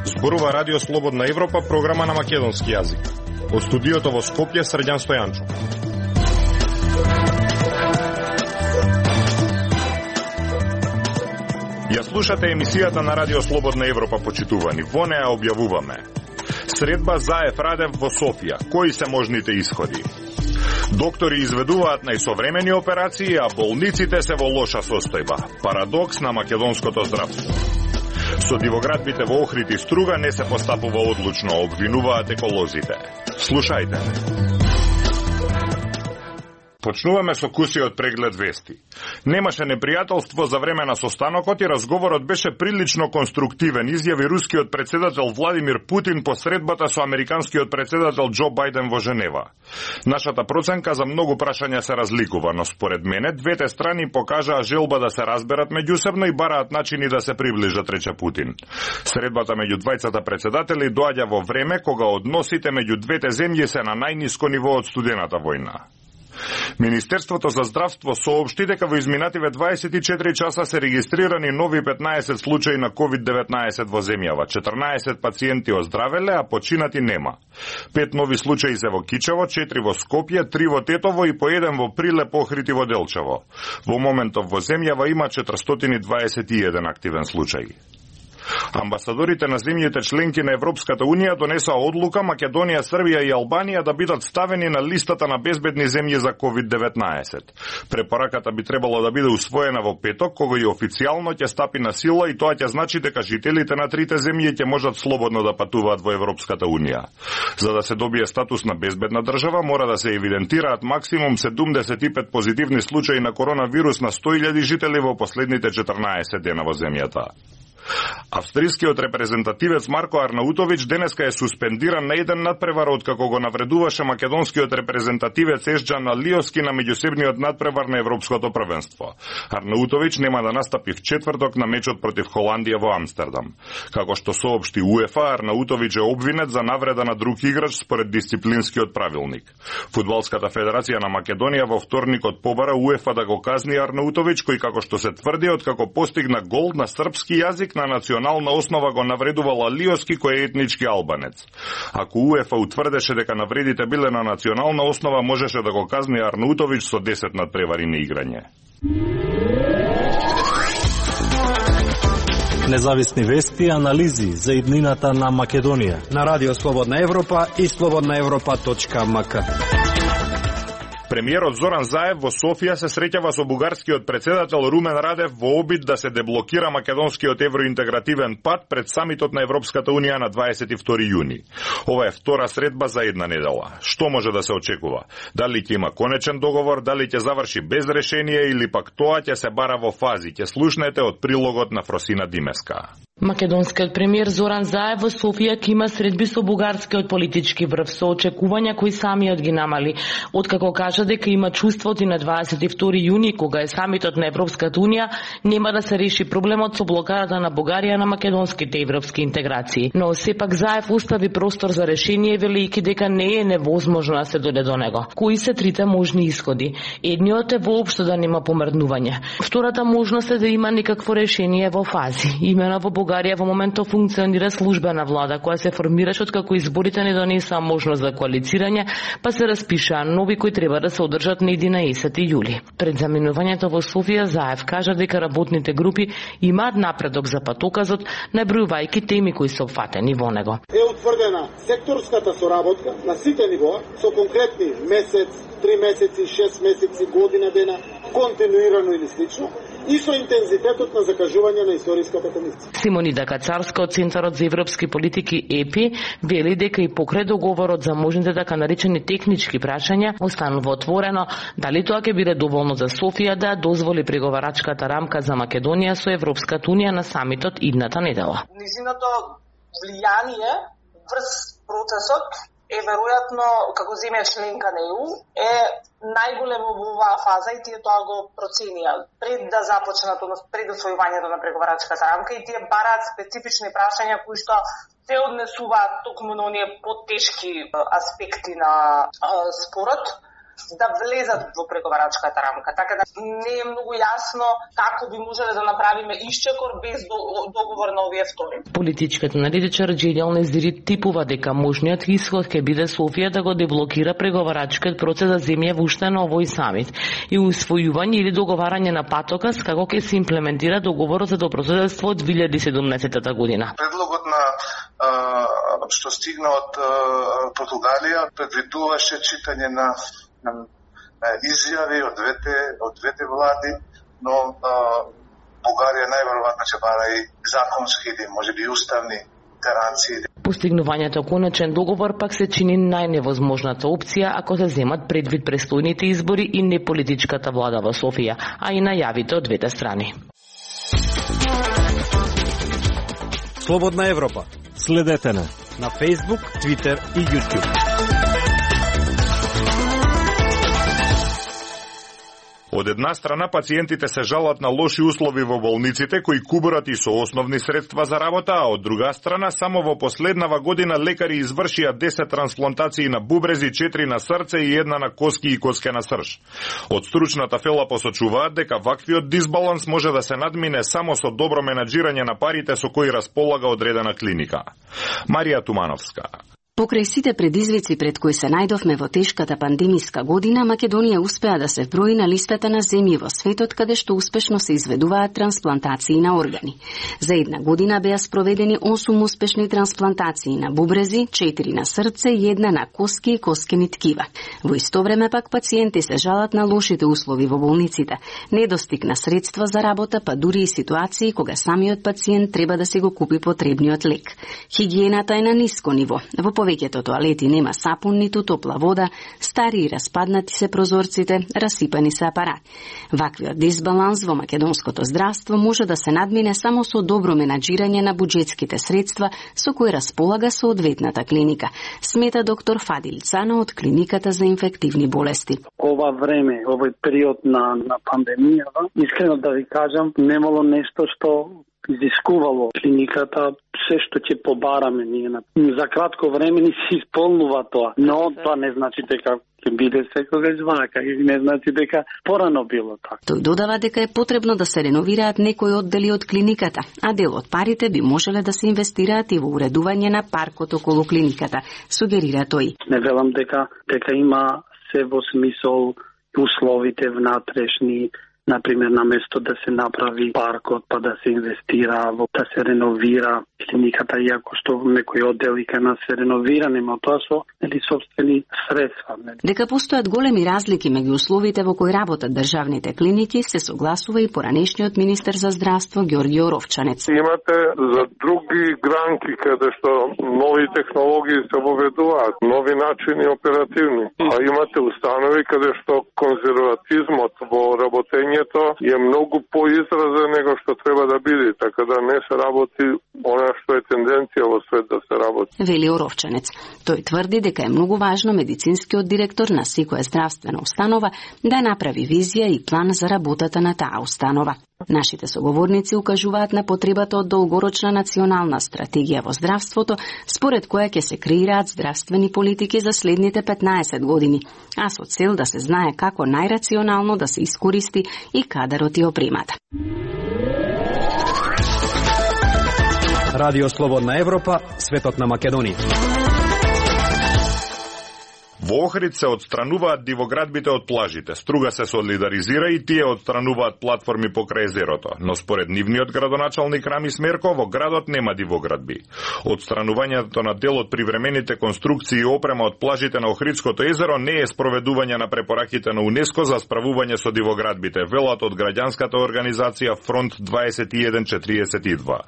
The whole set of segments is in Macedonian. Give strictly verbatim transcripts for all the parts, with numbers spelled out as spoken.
Зборува Радио Слободна Европа, програма на македонски јазик. Од студиото во Скопје, Срđan Стојанчо. Ја слушате емисијата на Радио Слободна Европа, почитувани. Во неа објавуваме: средба Заев Радев во Софија. Кои се можните исходи? Доктори изведуваат најсовремени операции, а болниците се во лоша состојба. Парадокс на македонското здравство. Со дивоградбите во Охрид и Струга не се постапува одлучно, обвинуваат еколозите. Слушајте. Почнуваме со кусиот преглед вести. Немаше непријателство за време на состанокот и разговорот беше прилично конструктивен, изјави рускиот председател Владимир Путин по средбата со американскиот председател Џо Бајден во Женева. Нашата проценка за многу прашања се разликува, но според мене двете страни покажаа желба да се разберат меѓусебно и бараат начини да се приближат, рече Путин. Средбата меѓу двајцата председатели доаѓа во време кога односите меѓу двете земји се на најниско ниво од студената војна. Министерството за здравство соопшти дека во изминативе дваесет и четири часа се регистрирани нови петнаесет случаи на ковид деветнаесет во земјава. четрнаесет пациенти оздравеле, а починати нема. Пет нови случаи се во Кичево, четири во Скопје, три во Тетово и по еден во Прилеп, Охрид и во Делчево. Во моментов во земјава има четиристотини дваесет и еден активен случај. Амбасадорите на земјите членки на Европската Унија донесоа одлука Македонија, Србија и Албанија да бидат ставени на листата на безбедни земји за ковид деветнаесет. Препораката би требало да биде усвоена во петок, кога и официјално ќе стапи на сила, и тоа ќе значи дека жителите на трите земји ќе можат слободно да патуваат во Европската Унија. За да се добие статус на безбедна држава, мора да се евидентираат максимум седумдесет и пет позитивни случаи на коронавирус на сто илјади жители во последните четрнаесет дена во земјата. Австрискиот репрезентативец Марко Арнаутович денеска е суспендиран на еден надпревар откако го навредуваше македонскиот репрезентативец Ешџан Алиоски на меѓусебниот надпревар на Европското првенство. Арнаутович нема да настапи в четврток на мечот против Холандија во Амстердам. Како што соопшти УЕФА, Арнаутович е обвинет за навреда на друг играч според дисциплинскиот правилник. Фудбалската федерација на Македонија во вторникот побара УЕФА да го казни Арнаутович, кој, како што се тврди, откако постигна гол на српски јазик, на национална основа го навредувал Алиоски, кој е етнички албанец. Ако УЕФА утврдеше дека навредите биле на национална основа, можеше да го казни Арнаутович со десет надпревари на играње. Независни вести и анализи за иднината на Македонија на Радио Слободна Европа и слободна европа точка ем ка. Премиерот Зоран Заев во Софија се среќава со бугарскиот председател Румен Радев во обид да се деблокира македонскиот евроинтегративен пат пред самитот на Европската Унија на дваесет и втори јуни. Ова е втора средба за една недела. Што може да се очекува? Дали ќе има конечен договор, дали ќе заврши без решение или пак тоа ќе се бара во фази? Ќе слушнете од прилогот на Фросина Димеска. Македонскиот премиер Зоран Заев во Софија ќе има средби со бугарскиот политички врв со очекувања кои самиот ги намали, откако кажа дека има чувството и на дваесет и втори јуни, кога е самитот на Европската Унија, нема да се реши проблемот со блокадата на Бугарија на македонските европски интеграции. Но сепак Заев остави простор за решение, велејќи дека не е невозможно да се дојде до него. Кои се трите можни исходи? Едниот е воопшто да нема помрднување. Втората можност е да има никакво решение во фази. Имено во Бугарија во моментот функционира службена влада која се формираше откако изборите не донесоа можност за коалицирање, па се распишаа нови кои треба да се одржат на единаесети јули. Пред заминувањето во Софија Заев кажа дека работните групи имаат напредок за патоказот, набројувајќи теми кои се опфатени во него. Е утврдена секторската соработка на сите нивоа со конкретни месец, три месеци, шест месеци, година дена, континуирано или слично, и со интензитетот на закажување на историската комисија. Симонида Кацарска од Центарот за европски политики Е Пи вели дека и покрај договорот за можните така наречени технички прашања останува отворено дали тоа ќе биде доволно за Софија да дозволи преговарачката рамка за Македонија со Европската Унија на самитот идната недела. Низиното влијание врз процесот е веројатно, како земја членка на Е У, е најголемо во оваа фаза и тие тоа го проценија пред да започнат, пред усвојувањето на преговарачката рамка, и тие бараат специфични прашања кои што се однесуваат токму на оние потешки аспекти на спорот, да влезат во преговарачката рамка. Така да не е многу јасно како би можеле да направиме исчекор без договор на овие втори. Политичкиот аналитичар Џелјал Незири типува дека можниот исход ќе биде Софија да го деблокира преговарачкиот процес за земја уште на овој самит и усвојување или договарање на патокас како ќе се имплементира договорот за добрососедство од две илјади и седумнаесета година. Предлогот на а, што стигна од а, Португалија предвидуваше читање на, на изјави од двете од двете влади, но а, Бугарија најверојатно ќе бара и законски или можеби уставни гаранции. Постигнувањето конечен договор пак се чини најневозможната опција ако се земат предвид престојните избори и неполитичката влада во Софија, а и најавите од двете страни. Слободна Европа. Следете на на Facebook, Twitter и YouTube. Од една страна, пациентите се жалат на лоши услови во болниците, кои кубурат и со основни средства за работа, а од друга страна, само во последнава година лекари извршија десет трансплантации на бубрези, четири на срце и една на коски и коскена срж. Од стручната фела посочуваат дека ваквиот дисбаланс може да се надмине само со добро менаџирање на парите со кои располага одредена клиника. Марија Тумановска. Покрај сите предизвици пред кои се најдовме во тешката пандемиска година, Македонија успеа да се вброи на листата на земји во светот каде што успешно се изведуваат трансплантации на органи. За една година беа спроведени осум успешни трансплантации на бубрези, четири на срце и една на коски и коскени ткива. Во исто време пак пациенти се жалат на лошите услови во болниците, недостиг на средства за работа, па дури и ситуации кога самиот пациент треба да се го купи потребниот лек. Хигиената е на ниско ниво. Во повеќето тоалети нема сапун ниту топла вода, стари и распаднати се прозорците, расипани се апарати. Ваквиот дисбаланс во македонското здравство може да се надмине само со добро менаџирање на буџетските средства со кои располага соодветната клиника, смета доктор Фадил Цано од клиниката за инфективни болести. Ова време, овој период на на пандемијава, искрено да ви кажам, немало нешто што изискувало клиниката се што ќе побараме ние. За кратко време ни се исполнува тоа, но тоа не значи дека ќе биде секогаш вака и не значи дека порано било така. Тој додава дека е потребно да се реновираат некои оддели од клиниката, а дел од парите би можеле да се инвестираат и во уредување на паркот околу клиниката, сугерира тој. Не велам дека дека има се во смисол условите внатрешни, например, на место да се направи паркот, па да се инвестира, да се реновира клиниката, иако што некои оддели кај нас се реновира, нема тоа со или собствени средства. Дека постојат големи разлики меѓу условите во кои работат државните клиники, се согласува и поранешниот министер за здравство Ѓорѓе Оровчанец. Имате за други гранки каде што нови технологии се воведуваат, нови начини оперативни, а имате установи каде што конзерватизмот во работењето е многу поизразен него што треба да биде, така да не се работи она што е тенденција во свет да се работи. Вели Оровчанец. Тој тврди дека е многу важно медицинскиот директор на секоја здравствена установа да направи визија и план за работата на таа установа. Нашите соговорници укажуваат на потребата од долгорочна национална стратегија во здравството, според која ќе се креираат здравствени политики за следните петнаесет години, а со цел да се знае како најрационално да се искористи и кадарот и опремата. Радио Слободна Европа, светот на Македонија. Во Охрид се отстрануваат дивоградбите од плажите. Струга се солидаризира и тие отстрануваат платформи покрај езерото, но според нивниот градоначалник Рами Смерко, во градот нема дивоградби. Отстранувањето на дел од привремените конструкции и опрема од плажите на Охридското езеро не е спроведување на препораките на УНЕСКО за справување со дивоградбите, велат од граѓанската организација Фронт дваесет и еден четириесет и два.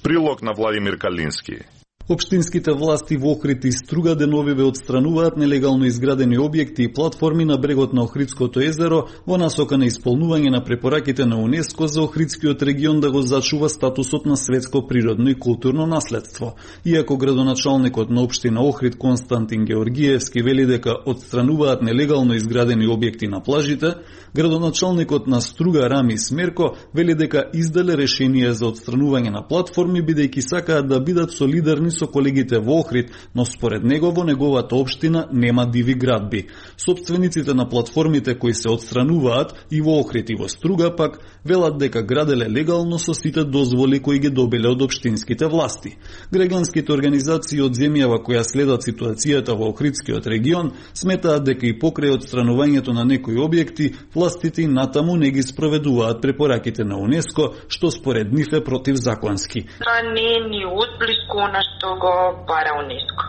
Прилог на Владимир Калински. Општинските власти во Охрид и Струга деновиве отстрануваат нелегално изградени објекти и платформи на брегот на Охридското езеро во насока на исполнување на препораките на УНЕСКО за Охридскиот регион да го зачува статусот на светско природно и културно наследство. Иако градоначалникот на општина Охрид Константин Георгиевски вели дека отстрануваат нелегално изградени објекти на плажите, градоначалникот на Струга Рами Смерко вели дека изделе решение за отстранување на платформи бидејќи сакаат да бидат солидарни со колегите во Охрид, но според него во неговата општина нема диви градби. Собствениците на платформите кои се отстрануваат и во Охрид и во Струга пак велат дека граделе легално со сите дозволи кои ги добиле од општинските власти. Граѓанските организации од земјава која следат ситуацијата во Охридскиот регион сметаат дека и покрај отстранувањето на некои објекти, властите натаму не ги спроведуваат препораките на УНЕСКО, што според нив е противзаконски. Тоа не е ни одблиску на што го бара УНЕСКО.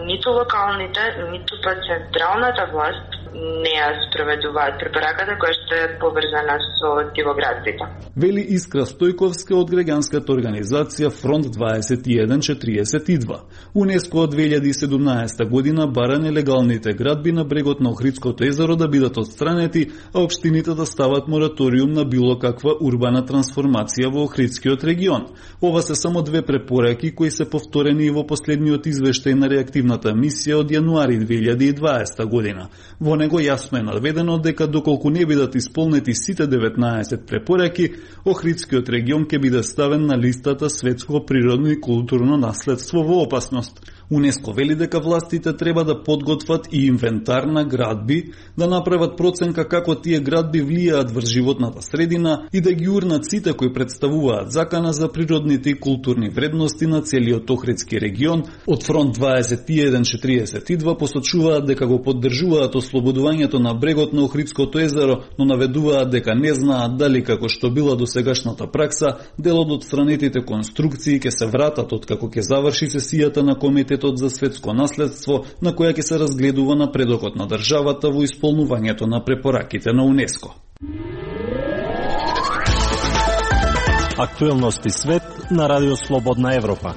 Ниту локалните, ниту па централната власт не ја спроведуваат препораката која што е поврзана со дивоградбите. Вели Искра Стојковска од граѓанската организација Фронт дваесет и еден четириесет и два. УНЕСКО од две илјади и седумнаесета година бара нелегалните градби на брегот на Охридското езеро да бидат отстранети, а општините да стават мораториум на било каква урбана трансформација во Охридскиот регион. Ова се само две препораки кои се повторени и во последниот извештај на реактивната мисија од јануари две илјади и дваесета година. Во него јасно е наведено дека доколку не бидат исполнети сите деветнаесет препораки, Охридскиот регион ќе биде ставен на листата светско природно и културно наследство во опасност. УНЕСКО вели дека властите треба да подготват и инвентар на градби, да направат проценка како тие градби влијаат врз животната средина и да ги урнат сите кои представуваат закана за природните и културни вредности на целиот Охридски регион. Од Фронт дваесет и еден четириесет и два посочуваат дека го поддржуваат ослободувањето на брегот на Охридското езеро, но наведуваат дека не знаат дали како што била досегашната пракса, делот од странетите конструкции ќе се вратат од како ќе заврши сесијата на Комитет за светско наследство, на која ќе се разгледува напредокот на државата во исполнувањето на препораките на УНЕСКО. Актуелности свет на Радио Слободна Европа.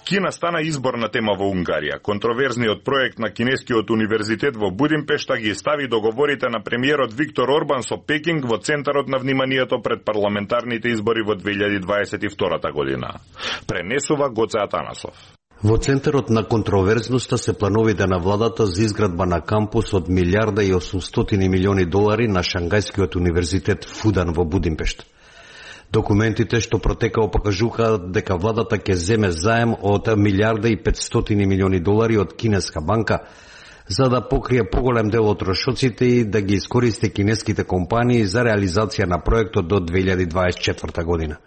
Кина стана изборна тема во Унгарија. Контроверзниот проект на Кинескиот универзитет во Будимпешта ги стави договорите на премиерот Виктор Орбан со Пекинг во центарот на вниманието пред парламентарните избори во две илјади дваесет и втора година. Пренесува Гоце Атанасов. Во центарот на контроверзноста се плановите на владата за изградба на кампус од милиарда и осумстотини милиони долари на Шангајскиот универзитет Фудан во Будимпешта. Документите што протекао покажуваат дека владата ќе земе заем од милиарда и петстотини милиони долари од кинеска банка за да покрие поголем дел од трошоците и да ги искористи кинеските компании за реализација на проектот до две илјади дваесет и четврта година.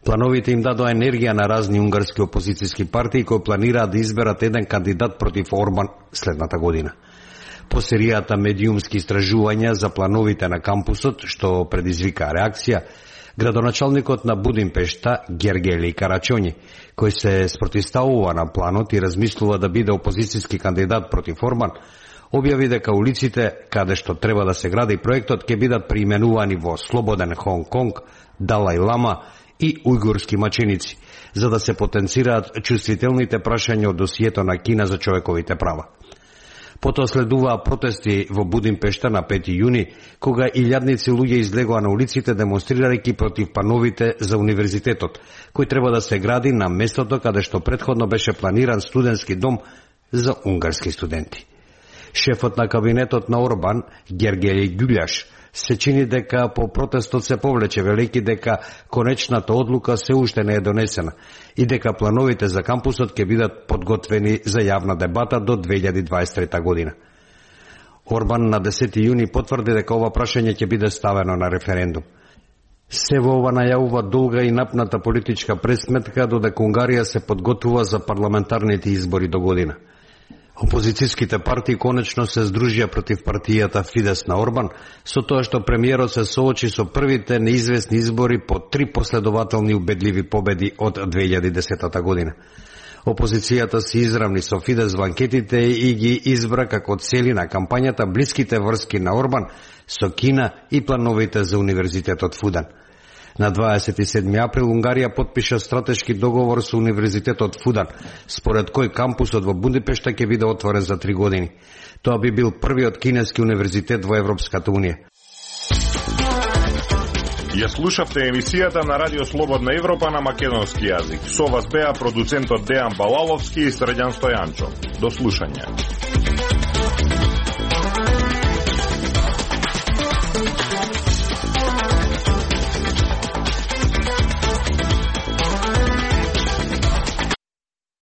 Плановите им дадоа енергија на разни унгарски опозицијски партии кои планираат да изберат еден кандидат против Орбан следната година. По серијата медиумски истражувања за плановите на кампусот, што предизвика реакција, градоначалникот на Будимпешта, Гергели Карачоњи, кој се спротивставува на планот и размислува да биде опозицијски кандидат против Орбан, објави дека улиците каде што треба да се гради проектот ќе бидат преименувани во Слободен Хонг Конг, Далај Лама и ујгурски маченици, за да се потенцираат чувствителните прашања од досието на Кина за човековите права. Потоа следуваа протести во Будимпешта на пети јуни, кога илјадници луѓе излегоа на улиците демонстрирајќи против плановите за универзитетот, кој треба да се гради на местото каде што претходно беше планиран студентски дом за унгарски студенти. Шефот на кабинетот на Орбан, Гергели Гюљаш, се чини дека по протестот се повлече, велики дека конечната одлука се уште не е донесена и дека плановите за кампусот ќе бидат подготвени за јавна дебата до две илјади дваесет и трета година. Орбан на десети јуни потврди дека ова прашање ќе биде ставено на референдум. Се во ова најавува долга и напната политичка пресметка додека Унгарија се подготвува за парламентарните избори до година. Опозицијските партии конечно се здружија против партијата Фидес на Орбан, со тоа што премиерот се соочи со првите неизвестни избори по три последователни убедливи победи од две илјади и десета година. Опозицијата се изравни со Фидес во анкетите и ги избра како цели на кампањата блиските врски на Орбан со Кина и плановите за универзитетот Фудан. На дваесет и седми април Унгарија потпиша стратешки договор со универзитетот Фудан, според кој кампусот во Будимпешта ќе биде отворен за три години. Тоа би бил првиот кинески универзитет во Европската унија. Ја слушавте емисијата на Радио Слободна Европа на македонски јазик. Со вас беа продуцентот Дејан Балаловски и Срđan Стојанчо. До слушање.